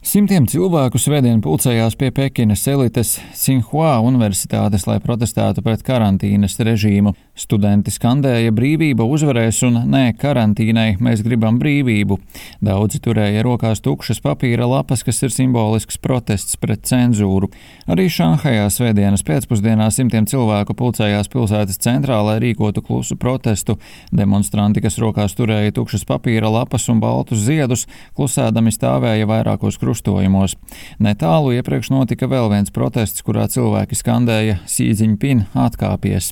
Simtiem cilvēku svētdien pulcējās pie Pekinas elites Tsinghua universitātes, lai protestētu pret karantīnas režīmu. Studenti skandēja brīvība uzvarēs un nē karantīnai, mēs gribam brīvību. Daudzi turēja rokās tukšas papīra lapas, kas ir simbolisks protests pret cenzūru. Arī Šanhajā svētdienas pēcpusdienā simtiem cilvēku pulcējās pilsētas centrā, lai rīkotu klusu protestu. Demonstranti, kas rokās turēja tukšas papīra lapas un baltus ziedus, klusēdami stāvēja vairākos krustojumos. Netālu iepriekš notika vēl viens protests, kurā cilvēki skandēja Xi Jinping atkāpies.